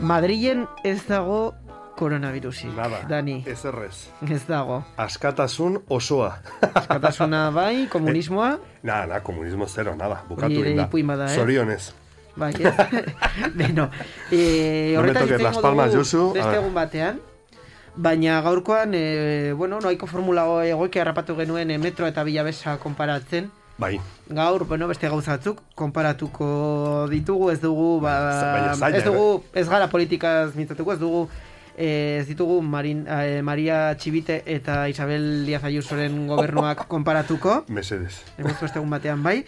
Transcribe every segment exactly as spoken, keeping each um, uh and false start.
Madrilen ez dago koronavirusi. Nada, Dani. ez errez. Ez dago. Askatasun osoa. Askatasuna bai, komunismoa. Nada, nada, komunismo zero, nada. Bukatu Hori inda. ipuin bada, eh? Zorionez. Bai, ez. Beno, eh, No me horretan toques las palmas, Josu. beste egun batean. Baina gaurkoan, eh, bueno, noaiko formula egoike harrapatu genuen eh, metro eta bilabesa konparatzen. Bai. Gaur, bueno, beste gauzatzuk konparatuko ditugu, ez dugu, ba, Baina zaila, ez dugu, ez gara politikaz mintzatuko, ez dugu, eh, ez ditugu Marin, eh, Maria Txibite eta Isabel Díaz Ayusoren gobernuak konparatuko. Mesedes. Hemen beste egun batean bai.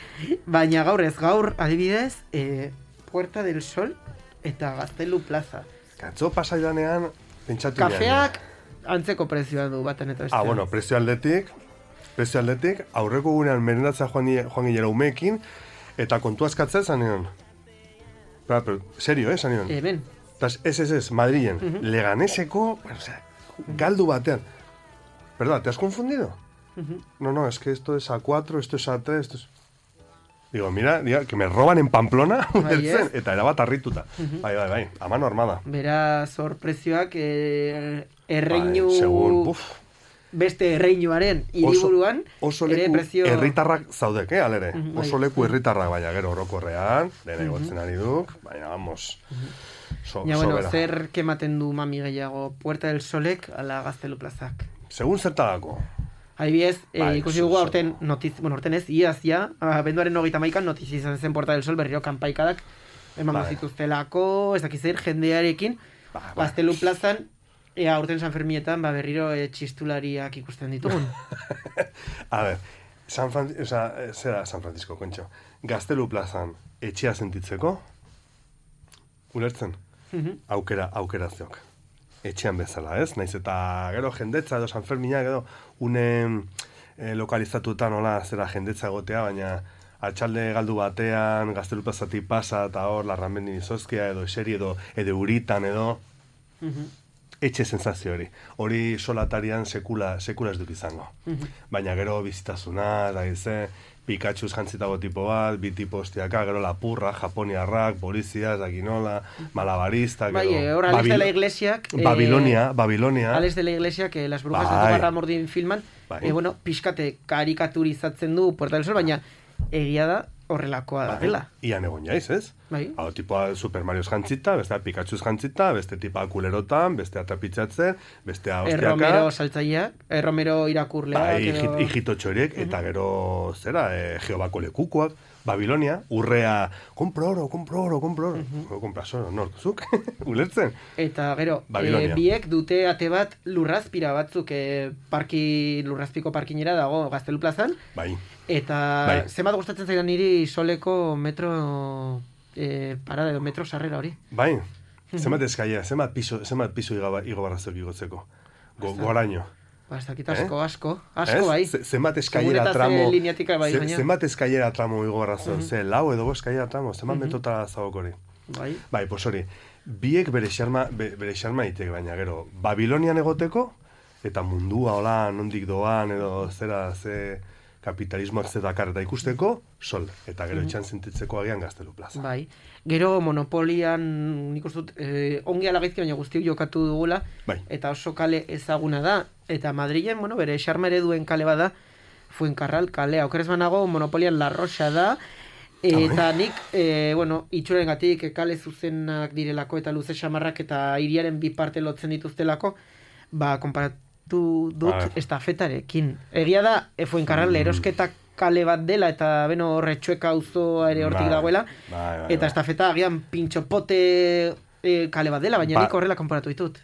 Baina gaur ez, gaur adibidez, eh, Puerta del Sol eta Gaztelu Plaza. Katzo pasaidanean, pentsatu Kafeak antzeko prezioa du baten eta bestean. Ah, bueno, prezio aldetik, prezio aldetik, aurreko gunean merendatzea joan, joan gilera umeekin, eta kontu askatzea zan nion. Pero, pero, serio, eh, zan nion. Hemen. Ez, ez, ez, Madrilen, uh -huh. Leganeseko, bueno, o sea, galdu batean. Perdón, ¿te has confundido? Uh -huh. No, no, es que esto es a cuatro, esto es a tres, esto es... Digo, mira, diga, que me roban en Pamplona, bai, bertzen, eta erabat harrituta. Uh -huh. Bai, bai, bai, a mano armada. Beraz, hor prezioak eh, erreinu... Bai, segun, buf. Beste erreinuaren hiriburuan oso ere leku prezio... herritarrak zaudek, eh, alere. Uh -huh, oso bai. leku herritarrak, baina gero orokorrean, dena igotzen ari duk, baina, vamos, uh -huh. so, ja, bueno, sobera. zer kematen du mami gehiago, Puerta del Solek ala Gaztelu Plazak? Segun zertagako. Adibidez, Bai, eh, ikusi dugu aurten notiz, bueno, aurten ez, iaz ja, abenduaren hogeita hamaikan notiz izan zen Puerta del Sol berriro kanpaikadak emango Bai. zituztelako, ez dakiz zer, jendearekin, Ba, ba. Gaztelu Plazan, ea aurten San Fermietan, ba, berriro e, txistulariak ikusten ditugun. A ver, San Fran... o sea, zera San Francisco, kontxo. Gaztelu Plazan etxea sentitzeko, ulertzen? Uh -huh. Aukera, aukera zeok. Etxean bezala, ez? Naiz eta gero jendetza edo San Ferminak edo une eh, lokalizatuetan nola zera jendetza egotea, baina atxalde galdu batean, Gaztelu Plazatik pasa eta hor larramendi izozkia edo eseri edo edo uritan edo Uh -huh. etxe sensazio hori. Hori solatarian sekula, sekula ez duk izango. Uh -huh. Baina gero bizitazuna, da gize, Pikachuz jantzitago tipo bat, bi tipo hostiaka, gero lapurra, japoniarrak, polizia, zakinola, malabarista, Bai, gero... hor, Alex de la Iglesiak... Babilonia, Babilonia... Alex de la Iglesia, que las brujas bai. de Zugarramurdin filman, Bai. eh, bueno, pixkate karikaturizatzen du Puerta del Sol, baina egia da horrelakoa da dela. Ian egon jaiz, ez? Bai. Hau tipoa Super Marioz jantzita, bestea Pikachuz jantzita, beste tipa kulerotan, bestea trapitzatzen, bestea hostiaka... Erromero saltzaileak, Erromero irakurleak... Bai, edo... hijitotxo horiek, eta uh -huh. gero, zera, eh, Jehovako lekukoak, Babilonia, urrea, kompro oro, kompro oro, kompro oro. Uh -huh. Kompras oro, nortzuk, ulertzen. Eta gero, e, biek dute ate bat lurrazpira batzuk, e, parki, lurrazpiko parkinera dago Gaztelu Plazan. Bai. Eta bai. zenbat gustatzen zaidan niri Soleko metro e, parada edo metro sarrera hori. Bai, zenbat eskaia, zenbat piso, zenbat piso igo barrazok igotzeko. Go, goraino. Ba, ez dakit asko, eh? asko, asko es? bai. Zenbat eskailera tramo, bai, ze, zenbat eskailera tramo igo barrazok, uh -huh. ze lau edo bo eskailera tramo, zenbat uh -huh. metotara zagok hori. Bai. Bai, pues hori, biek bere xarma, be, bere xarma itek, baina gero, Babilonian egoteko, eta mundua hola nondik doan, edo zera, ze kapitalismoak zedakar eta ikusteko, Sol, eta gero uh -huh. etxan sentitzeko agian Gaztelu Plaza. Bai. Gero monopolian nik uste dut eh, ongi alagaizki baina guztiok jokatu dugula, bai. Eta oso kale ezaguna da, eta Madrilen, bueno, bere xarma ereduen kale bada, Fuencarral kalea, okerez banago monopolian La Roxa da, eta nik, e, bueno, itxuren gatik kale zuzenak direlako eta luze xamarrak eta hiriaren bi parte lotzen dituztelako, ba, konparatu dut ah. estafetarekin. Egia da, e, Fuencarral mm. erosketak kale bat dela eta beno horretxueka auzoa ere hortik dagoela, bai, bai, eta estafeta agian pintxopote e, kale bat dela, baina ba, nik horrela konparatu ditut.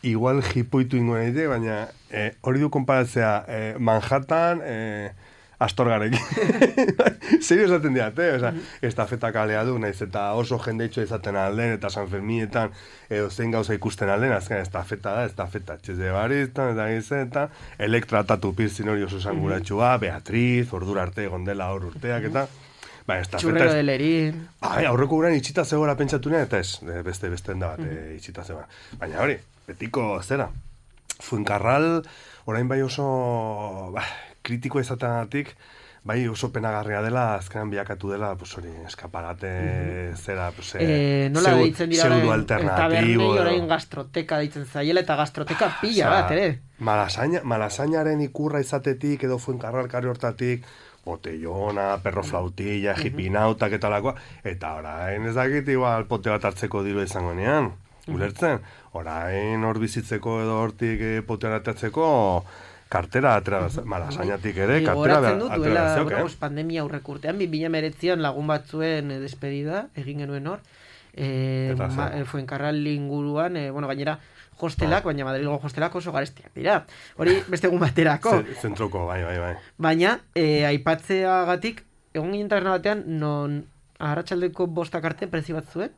Igual jipoitu ingo nahi, baina eh, hori du konparatzea eh, Manhattan eh, Astorgarekin. Serio esaten diate, o sea, estafeta kalea du, naiz eta oso jendeitxo izaten alden, eta San Fermietan edo zein gauza ikusten alden, azken estafeta da, estafeta txeze baristan, eta gizen, eta elektratatu pirzin hori oso zanguratxua, Beatriz, ordura arte gondela hor urteak, eta bai, Txurrero de Lerin. Bai, aurreko guran itxita zegoela pentsatu nea, eta ez, beste beste da bat, mm. itxita zegoela. Baina hori, betiko zera, Fuencarral, orain bai oso, bah, kritikoa izateagatik, bai oso penagarria dela, azkenan bilakatu dela, pues hori, eskaparate, mm-hmm. zera, pues, eh, nola zeu, deitzen dira zeudu orain, alternatibo. Tabernei orain gastroteka deitzen zaiela, eta gastroteka pila bat, ere. Malasaña, malasañaren ikurra izatetik, edo Fuencarral hortatik, botellona, perro flautilla, uh-huh. hipinautak eta lakoa, eta orain ez dakit igual pote bat hartzeko diru izango nean, ulertzen? Orain hor bizitzeko edo hortik eh, pote bat hartzeko kartera atera, malasañatik ere, kartera atera dut, duela, bueno, pues, pandemia aurrek urtean, bi mila hemeretzian lagun batzuen eh, despedida, egin genuen hor, eh, ma, eh, Fuencarral inguruan, eh, bueno, gainera, hostelak, baina Madrilgo hostelak oso garestiak dira. Hori beste egun baterako. Zentroko, bai, bai, bai. Baina, e, aipatzeagatik, egon ginen taberna batean, non arratsaldeko bostak arte prezi bat zuen,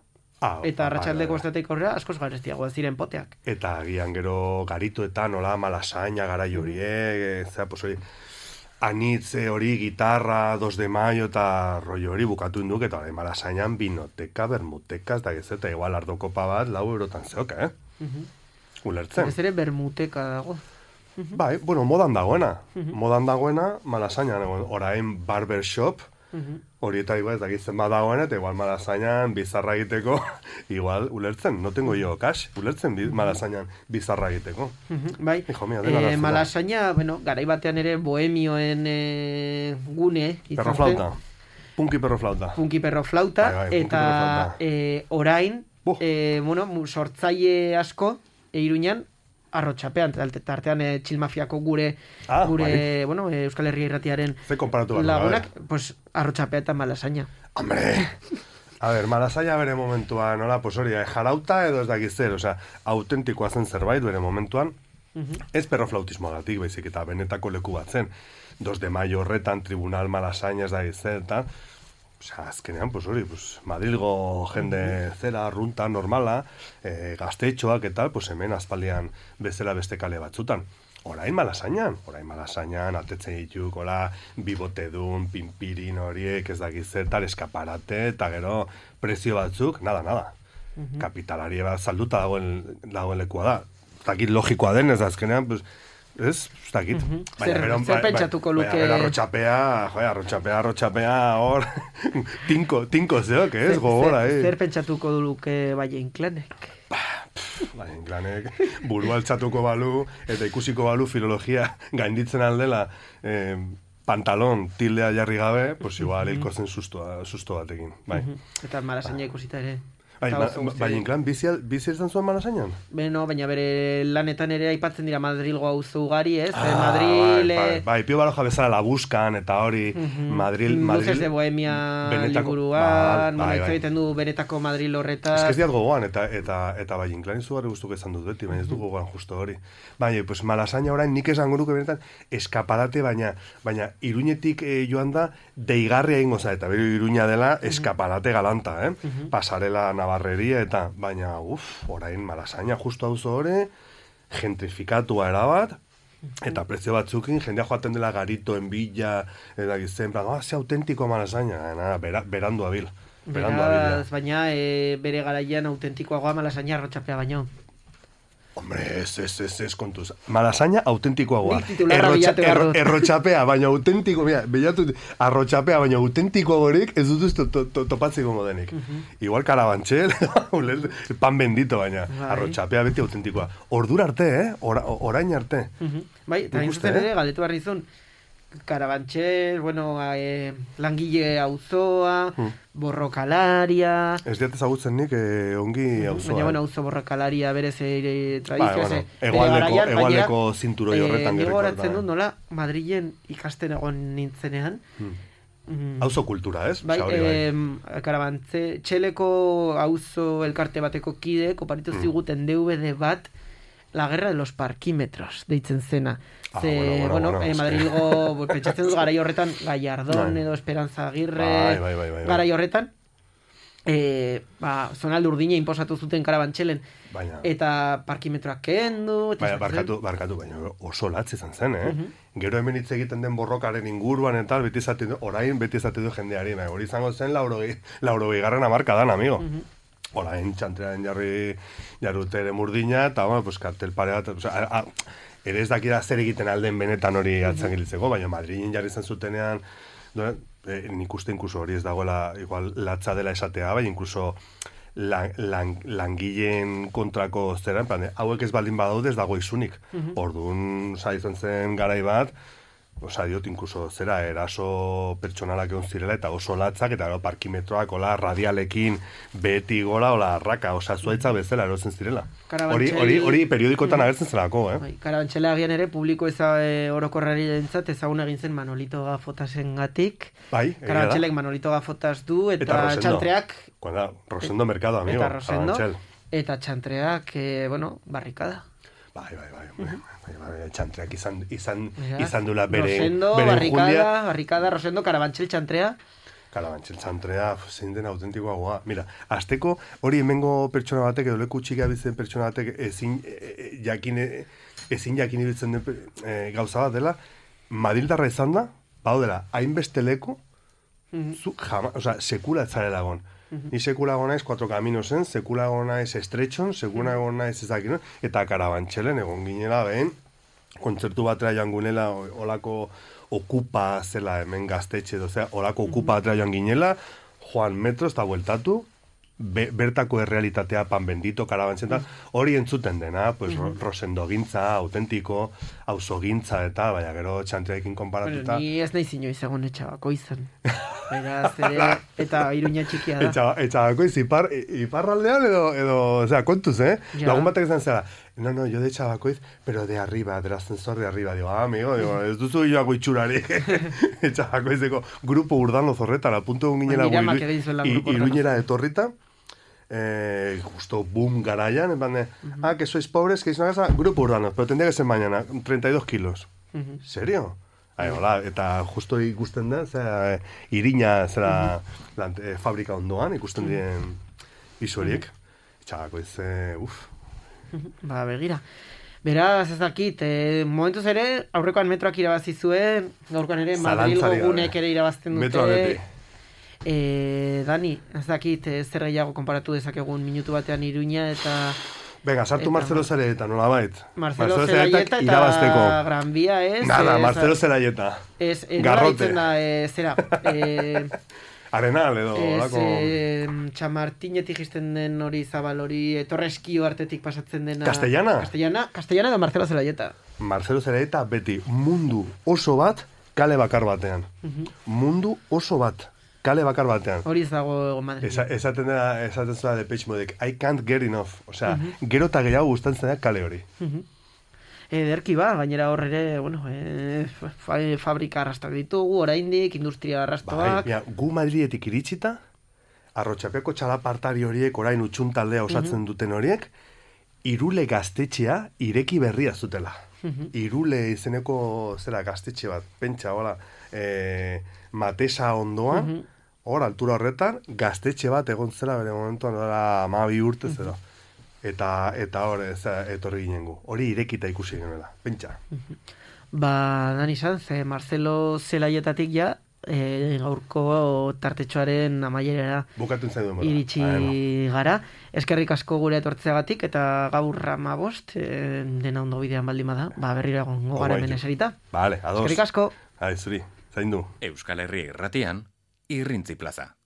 ah, eta arratsaldeko bostatik aurrera askoz garestiagoa ziren poteak. Eta agian gero garituetan, nola, malasaina, garai horiek, zera, pues hori, anitze hori, gitarra, dos de mayo eta rollo hori bukatu induk, eta hori malasainan binoteka, bermuteka, ez da gezeta, igual ardokopa bat, lau eurotan zeok, eh? Uh-huh. Ulertzen. Ez ere bermuteka dago. Uh-huh. Bai, bueno, modan dagoena. Uh-huh. Modan dagoena, malasainan, orain barbershop, hori eta igual ez dakitzen badagoena, eta igual malasainan bizarra egiteko, igual, ulertzen, no tengo yo cash, ulertzen bi, malasainan bizarra egiteko. Uh-huh. Bai, Hijo mío, eh, malasaina, bueno, garai batean ere bohemioen eh, gune. Perro flauta. Punky perro flauta. Punky perro flauta, bai, bai, eta eh, orain, uh. eh, bueno, sortzaile asko, Iruñan, arrotxapean, tartean e, txilmafiako gure, ah, gure bai. bueno, e, Euskal Herria Irratiaren lagunak, pues, arrotxapea eta malasaina. Hombre! A ver, malasaina bere momentuan, nola, pues hori, jarauta edo ez dakiz zer, osea, autentikoa zen zerbait bere momentuan, uh-huh. ez perroflautismoagatik, baizik, eta benetako leku bat zen. Dos de mayo horretan, tribunal malasaina ez dakiz zer, eta, osea, azkenean, pues hori, pues, Madrilgo jende zera, runta, normala, e, gaztetxoak eta, pues hemen azpaldian bezala beste kale batzutan. Orain malasainan, orain malasainan, atetzen dituk, hola, bibotedun, pimpirin horiek, ez dakizetar, eskaparate, eta gero prezio batzuk, nada, nada. Uh-huh. Kapitalaria bat salduta dagoen, dagoen lekua da. Zakit logikoa den, ez azkenean, pues, ez, ez dakit. Uh-huh. Zer, zer bai, pentsatuko luke... Baina, arrotxapea, joa, arrotxapea, arrotxapea, hor, tinko, tinko zeok, ez, gogora, eh. Zer pentsatuko luke Valle Inclanek? Valle Inclanek buru altzatuko balu, eta ikusiko balu filologia gainditzen aldela, eh, pantalon tildea jarri gabe, pues igual hilko zen susto, susto batekin, bai. Uh-huh. Eta malasaina ikusita ere. Bai, Valle Inclán, bizi izan zuen malasainan? Beno, baina bere lanetan ere aipatzen dira Madrilgo auzo ugari, ez? Ah, Madril... Bai, bai, bai, Pio Baroja bezala la buscan, eta hori, uh-huh. Madril... Madril Luces de Bohemia liburuan, bueno, hitz egiten du benetako Madril horretaz... Ez que ez diat gogoan, eta, eta, eta Valle Inclán izugarri guztuk esan dut beti, baina ez du gogoan justo hori. Baina, pues malasaina orain nik esan goruke benetan eskaparate, baina, baina Iruñetik eh, joan da deigarria ingo za, eta bero Iruña dela eskaparate galanta, eh? Uh-huh. Pasarela Navarreria eta, baina, uf, orain malasaina justu hau hori, gentrifikatua erabat, eta prezio batzukin, jendea joaten dela garitoen bila, eta gizten, ah, ze autentiko malasaina, nada, bera, berandu abil. Berandu abil, baina e, bere garaian autentikoagoa malasaina arrotxapea baino. Hombre, ez, ez, ez, ez, kontuz. Malasaina autentikoagoa. Errotxa, erro, errotxapea, baina autentiko, mira, behatu, arrotxapea, baina autentikoagorik ez dutuz to, to, to, topatzeko modenik. Uh-huh. Igual karabantxel, pan bendito, baina bai. Arrotxapea beti autentikoa. Ordura arte, eh? Ora, orain arte. Uh-huh. Bai, eta inzuzen ere, galdetu barrizun, Karabantxel, bueno, eh, langile auzoa, hmm. borrokalaria... Ez diat ezagutzen nik eh, ongi auzoa. Baina, bueno, auzo borrokalaria berez eh, tradizioa. Ba, bueno, egualdeko, egualdeko zinturoi horretan gerriko. Ego horatzen dut, nola, Madrilen ikasten egon nintzenean. Hmm. Mm. Auzo kultura, ez? Bai, eh, Karabantxe, txeleko auzo elkarte bateko kide, koparitu hmm. ziguten D V D bat, La guerra de los parquímetros, deitzen zena. Ah, Ze, bueno, bueno, bueno, bueno, eh, Madrilgo, pentsatzen dut garai horretan, Gallardón edo Esperanza Aguirre, bai, bai, bai, bai, garai horretan, eh, ba, zonalde urdina inposatu zuten Karabantxelen, baina, eta parkimetroak kendu, baina, barkatu, barkatu, baina oso latz izan zen, eh? Uh-huh. Gero hemen hitz egiten den borrokaren inguruan eta beti izate du, orain beti izate du jendeari, nahi, hori izango zen laurogei, laurogei garren amarka dan, amigo. Uh-huh. Hola, entxantrean jarri jarrute ere murdina, eta, bueno, pues, kartel pare bat, o sea, a, a, ere ez dakida zer egiten alden benetan hori atzan gilitzeko, baina Madriden jarri zen zutenean, no, eh, nik uste inkluso hori ez dagoela, igual latza dela esatea, baina inkluso lan, lan, langileen kontrako zera, en plan, hauek ez baldin badaude ez dago izunik. Uh-huh. Orduan, oza, izan zen garai bat, oza, diot, inkluso zera, eraso pertsonalak egon zirela, eta oso latzak, eta gero parkimetroak, ola, radialekin, beti gora, ola, arraka, oza, zuaitza bezala erotzen zirela. Hori, hori, hori periodikotan agertzen zelako, eh? Bai, Karabantxela agian ere, publiko eza e, orokorrari dentzat, ezagun egin zen Manolito Gafotasen gatik. Bai, Karabantxelek Manolito Gafotas du, eta, eta txantreak... Cuando, Rosendo Mercado, amigo. Eta Rosendo, eta txantreak, eh, bueno, barrikada. Bai, bai, bai, bai, bai, bai, txantreak izan, izan, izan dula bere, Rosendo, bere barrikada, Julia. barrikada, Rosendo, Karabantxel txantrea. Karabantxel txantrea, zein den autentikoa goa. Mira, azteko hori hemengo pertsona batek, edo leku txika bizen pertsona batek ezin e, jakin, ezin jakin ibiltzen den e, gauza bat dela, Madrildarra izan da, bau dela, hainbeste leku, mm-hmm. zu, jama, oza, sekula etzarela egon. Mm-hmm. Ni sekula egon naiz cuatro caminosen, sekula egon naiz estretxon, sekula egon naiz ezakin, eta Karabantxelen egon ginela behen, kontzertu batera joan gunela, olako okupa zela hemen gaztetxe, dozea, olako okupa batera joan ginela, joan metro, eta bueltatu, be, bertako errealitatea pan bendito, Karabantxen, hori entzuten dena, pues, mm-hmm. Rosendo gintza, autentiko, auzo gintza, eta, baina gero txantreekin konparatuta. Bueno, ni ez nahi zinoi zegoen etxabako izan. Baina, zere, eta Iruña txikia da. Etxa, etxabako iz, ipar, iparraldean edo, edo, o sea, kontuz, eh? Ja. Lagun batek izan zera, no, no, yo de Chabacoiz, pero de arriba, del ascensor de arriba. Digo, ah, amigo, digo, ez duzu joako itxurari. Chabacoizeko grupo urdano zorretara, punto egun ginela Iruñera etorrita, eh, justo boom garaian, en plan de, uh-huh. ah, que sois pobres, que es una casa, grupo urbano, pero tendría que ser mañana, treinta y dos kilos. Uh-huh. ¿Serio? Ai, hola, eta justo ikusten da, zera, irina, zera, uh-huh. lan, e, fabrika ondoan, ikusten dien isu horiek. Uh-huh. Txabakoiz, e, uf. Ba, begira. Beraz, ez dakit, eh, momentuz ere, aurrekoan metroak irabazi zuen, gaurkoan ere, Madrilgo gunek ere irabazten dute. Metroa beti. Eh, Dani, ez dakit, eh, zer gehiago konparatu dezakegun minutu batean Iruña eta... Venga, sartu eta, Marcelo Zelaieta, nola bait. Marcelo, Marcelo Zelaieta eta irabazteko. Gran Vía, ez? Nada, ez, Marcelo Zelaieta. Ez, ez Garrote. Da, e, zera. E, Arenal edo, ez, e, Txamartinetik jisten den hori zabal hori, Torreskio artetik pasatzen dena. Castellana? Castellana, Castellana edo Marcelo Zelaieta. Marcelo Zelaieta beti mundu oso bat kale bakar batean. Uh-huh. Mundu oso bat. Kale bakar batean. Hori ez dago Madrid. Esa, esaten da, esaten zua de Depeche Modek, I can't get enough. Osea, uh-huh. gero eta gehiago gustatzen da kale hori. Uh-huh. Ederki ba, gainera hor ere, bueno, e, fa, fabrika arrastak ditugu, oraindik, industria arrastoak. Bai, gu Madridetik iritsita, Arrotxapeko txalapartari horiek, orain utxuntaldea osatzen uh-huh. duten horiek, Irule gaztetxea ireki berria zutela. Uh-huh. Irule izeneko, zera, gaztetxe bat, pentsa, hola, e, Matesa ondoan, uh-huh. hor, altura horretan, gaztetxe bat egon zela bere momentuan, hori amabi urte zera. Uh-huh. Eta, eta hor, ez, etorri ginen gu. Hori irekita ikusi genuela, pentsa. Uh-huh. Ba, Dani Sanz, eh, Marcelo Zelaietatik ja, eh, gaurko tartetxoaren amaierera iritsi gara. Eskerrik asko gure etortzeagatik, eta gaur amabost, eh, dena ondo bidean baldin bada, ba, berriro egon gogaren meneserita. Vale, ados. Eskerrik asko. Hai, zuri, zaindu. Euskal Herria irratian, Irrintzi Plaza.